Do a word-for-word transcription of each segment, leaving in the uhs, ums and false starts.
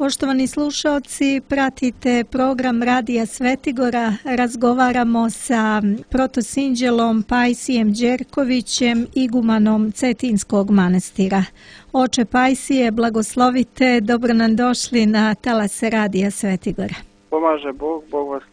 Poštovani slušaoci, pratite program Radija Svetigora. Razgovaramo sa protosinđelom Pajsijem Đerkovićem, igumanom Cetinskog manastira. Oče Pajsije, blagoslovite, dobro nam došli na talase Radija Svetigora. Pomaže Bog, Bog vas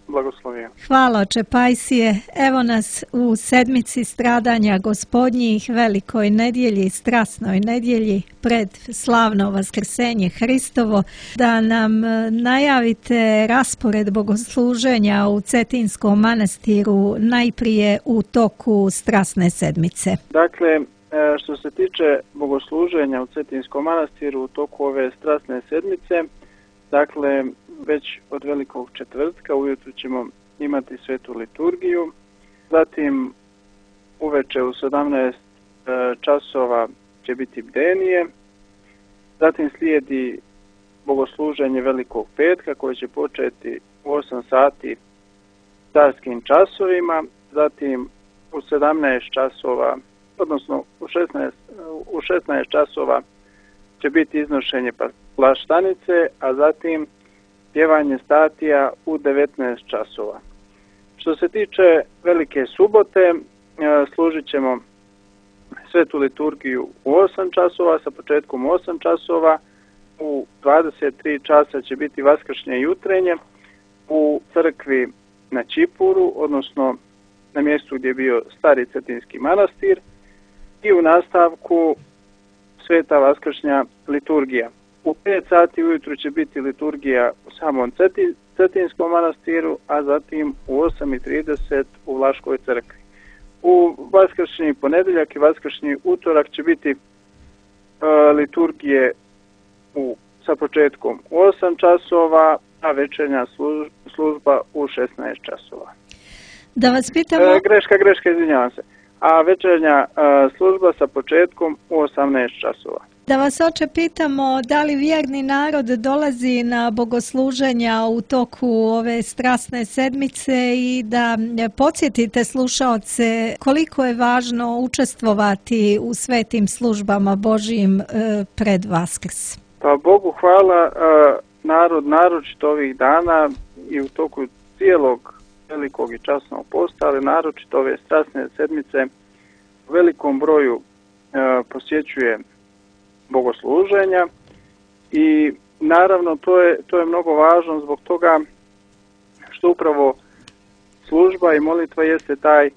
blagoslovio. Hvala, oče Pajsije. Evo nas u sedmici stradanja Gospodnjih, velikoj nedjelji, strasnoj nedjelji, pred slavno vaskrsenje Hristovo, da nam najavite raspored bogosluženja u Cetinskom manastiru najprije u toku strasne sedmice. Dakle, što se tiče bogosluženja u Cetinskom manastiru u toku ove strasne sedmice, dakle, već od velikog četvrtka ujutru ćemo imati svetu liturgiju, zatim uveče u sedamnaest časova će biti bdenije, zatim slijedi bogosluženje velikog petka koje će početi u osam sati carskim časovima, zatim u sedamnaest časova, odnosno u šesnaest, u šesnaest časova će biti iznošenje plaštanice, a zatim pjevanje statija u devetnaest časova. Što se tiče velike subote, služit ćemo svetu liturgiju u osam časova, sa početkom u osam časova, u dvadeset tri časa će biti vaskršnje jutrenje u crkvi na Čipuru, odnosno na mjestu gdje je bio stari Cetinski manastir, i u nastavku sveta vaskršnja liturgija. U pet sati ujutru će biti liturgija u samom Cetinskom manastiru, a zatim u osam i trideset u Vlaškoj crkvi. U vaskršnji ponedjeljak i vaskršnji utorak će biti uh, liturgije u, sa početkom u osam časova, a večernja služ, služba u šesnaest časova. Da vas pitamo... E, greška, greška, izvinjavam se. A večernja uh, služba sa početkom u osamnaest časova. Da vas, oče, pitamo da li vjerni narod dolazi na bogosluženja u toku ove strasne sedmice i da podsjetite slušaoce koliko je važno učestvovati u svetim službama Božijim pred Vaskrs. Pa Bogu hvala, narod naročito ovih dana i u toku cijelog velikog i časnog posta, ali naročito ove strasne sedmice u velikom broju posjećuje bogosluženja i naravno to je, to je mnogo važno zbog toga što upravo služba i molitva jeste taj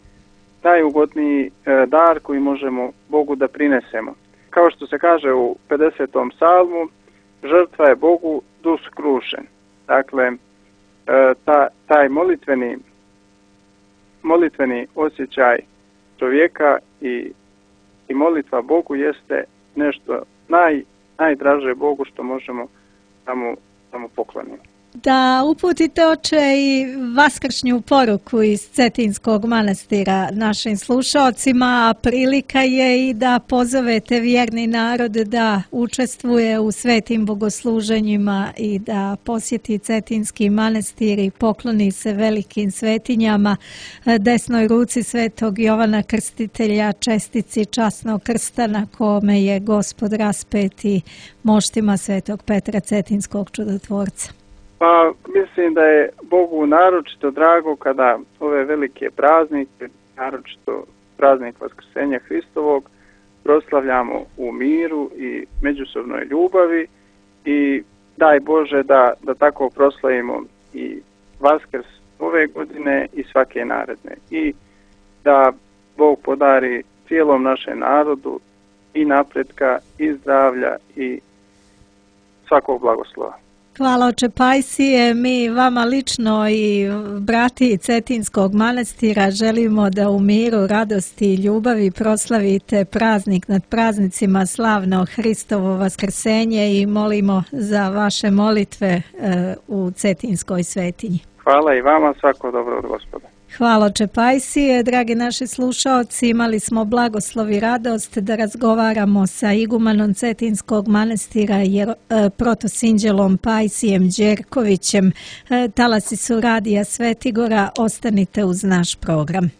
najugodniji dar koji možemo Bogu da prinesemo. Kao što se kaže u pedesetom psalmu, žrtva je Bogu dus krušen. Dakle, ta, taj molitveni, molitveni osjećaj čovjeka i, i molitva Bogu jeste nešto naj, najdraže Bogu što možemo da mu, da mu poklonimo. Da uputite, oče, i vaskršnju poruku iz Cetinskog manastira našim slušaocima, a prilika je i da pozovete vjerni narod da učestvuje u svetim bogosluženjima i da posjeti Cetinski manastir i pokloni se velikim svetinjama, desnoj ruci svetog Jovana Krstitelja, čestici časnog krsta na kome je Gospod raspet, i moštima svetog Petra Cetinskog čudotvorca. Pa mislim da je Bogu naročito drago kada ove velike praznike, naročito praznik Vaskrsenja Hristovog, proslavljamo u miru i međusobnoj ljubavi, i daj Bože da, da tako proslavimo i Vaskrs ove godine i svake naredne. I da Bog podari cijelom našem narodu i napretka i zdravlja i svakog blagoslova. Hvala, oče Pajsije. Mi vama lično i brati Cetinskog manastira želimo da u miru, radosti i ljubavi proslavite praznik nad praznicima, slavno Hristovo vaskrsenje, i molimo za vaše molitve u Cetinskoj svetinji. Hvala i vama, svako dobro od Gospoda. Hvala, oče Pajsije. Dragi naši slušaoci, imali smo blagoslov i radost da razgovaramo sa igumanom Cetinskog manastira protosinđelom Pajsijem Đerkovićem. Talasi su Radija Svetigora, ostanite uz naš program.